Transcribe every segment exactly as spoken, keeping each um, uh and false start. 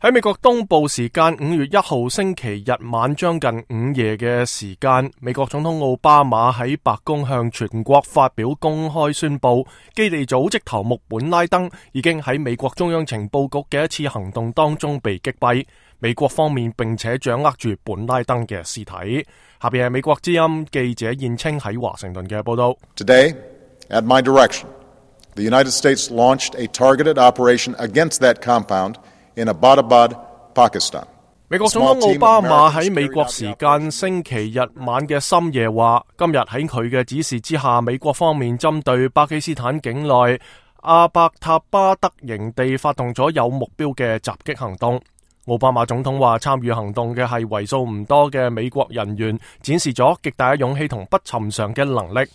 喺美國東部時間五月一號星期日晚將近午夜嘅時間，美國總統奧巴馬喺白宮向全國發表公開宣布，基地組織頭目本拉登已經喺美國中央情報局嘅一次行動當中被擊斃。美國方面並且掌握住本拉登嘅屍體。下邊係美國之音記者燕青喺華盛頓嘅報道。Today, at my direction, the United States launched a targeted operation against that compound in Abbottabad, Pakistan. 美國總統奧巴馬喺美國時間星期日晚嘅深夜話，今日喺佢嘅指示之下，美國方面針對巴基斯坦境內阿伯塔巴德營地發動咗有目標嘅襲擊行動。奧巴馬總統話，參與行動嘅係為數唔多嘅美國人員，展示咗極大嘅勇氣同不尋常嘅能力。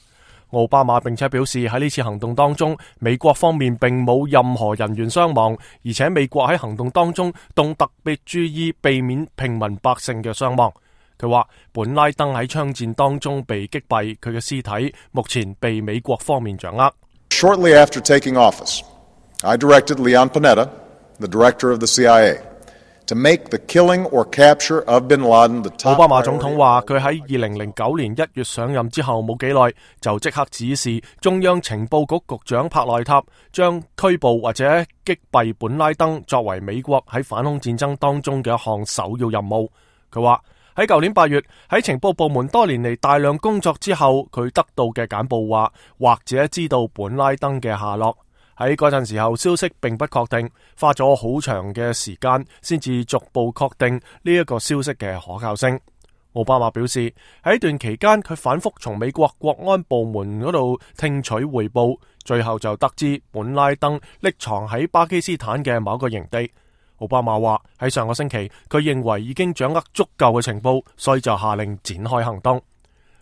奧巴馬並且表示，喺呢次行動當中，美國方面並冇任何人員傷亡，而且美國喺行動當中動特別注意避免平民百姓嘅傷亡。佢話本拉登喺槍戰當中被擊斃，佢嘅屍體目前被美國方面掌握。Shortly after taking office, I directed Leon Panetta, the director of the C I A,To make the killing or capture of bin Laden the top priority. 奧巴馬總統話，佢喺二零零九年一月上任之後冇幾耐，就即刻指示中央情報局局長帕內塔將拘捕或者擊斃本拉登作為美國喺反恐戰爭當中嘅一項首要任務。佢話喺舊年八月喺情報部門多年嚟大量工作之後，佢得到嘅簡報話，或者知道本拉登嘅下落。喺嗰陣時候，消息並不確定，花咗好長嘅時間先至逐步確定呢一個消息嘅可靠性。奧巴馬表示，喺一段期間，佢反覆從美國國安部門嗰度聽取匯報，最後就得知本拉登匿藏喺巴基斯坦嘅某個營地。奧巴馬話喺上個星期，佢認為已經掌握足夠嘅情報，所以就下令展開行動。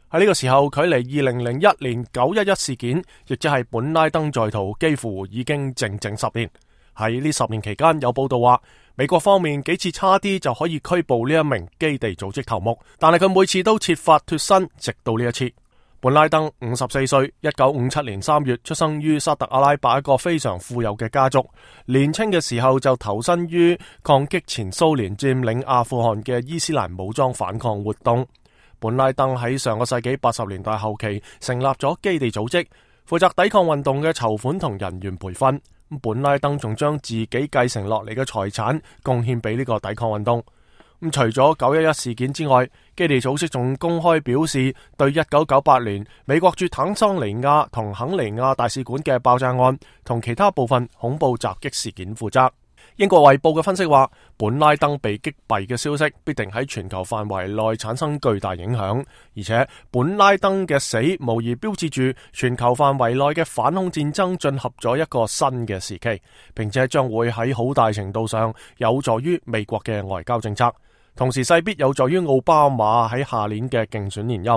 喺呢個時候，距離二零零一年九一一事件，亦即係本拉登在逃，幾乎已經整整十年。喺呢十年期間，有報道話，美國方面幾次差啲就可以拘捕呢一名基地組織頭目，但係佢每次都設法脫身，直到呢一次。本拉登五十四歲，一九五七年三月出生於沙特阿拉伯一個非常富有嘅家族，年輕嘅時候就投身於抗擊前蘇聯佔領阿富汗嘅伊斯蘭武裝反抗活動。本拉登喺上個世紀八十年代後期成立咗基地組織，負責抵抗運動嘅籌款同人員培訓。本拉登仲將自己繼承落嚟嘅財產貢獻俾呢個抵抗運動。咁除咗九一一事件之外，基地組織仲公開表示對一九九八年美國駐坦桑尼亞同肯尼亞大使館嘅爆炸案同其他部分恐怖襲擊事件負責。英國衛報嘅分析話，本拉登被擊斃嘅消息必定喺全球範圍內產生巨大影響，而且本拉登嘅死無疑標誌住全球範圍內嘅反恐戰爭進入咗一個新嘅時期，並且將會喺好大程度上有助於美國嘅外交政策，同時勢必有助於奧巴馬喺下年嘅競選連任。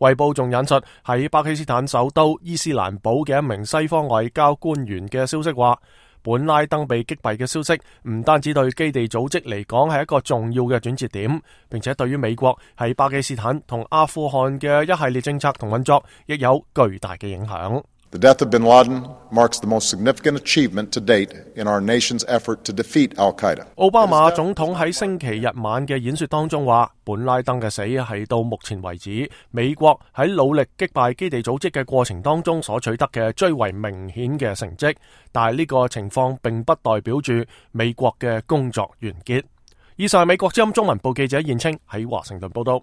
衛報仲引述喺巴基斯坦首都伊斯蘭堡嘅一名西方外交官員嘅消息話，本拉登被擊斃嘅消息唔單止對基地組織嚟講係一個重要嘅轉折點，並且對於美國喺巴基斯坦同阿富汗嘅一系列政策同運作亦有巨大嘅影響。The death of bin Laden marks the most significant achievement to date in our nation's effort to defeat Al-Qaeda. 奧巴馬總統喺星期日晚嘅演說當中話，本拉登嘅死係到目前為止美國喺努力擊敗基地組織嘅過程當中所取得嘅最為明顯嘅成績，但係呢個情況並不代表住美國嘅工作完結。以上係美國之音中文部記者燕青喺華盛頓報道。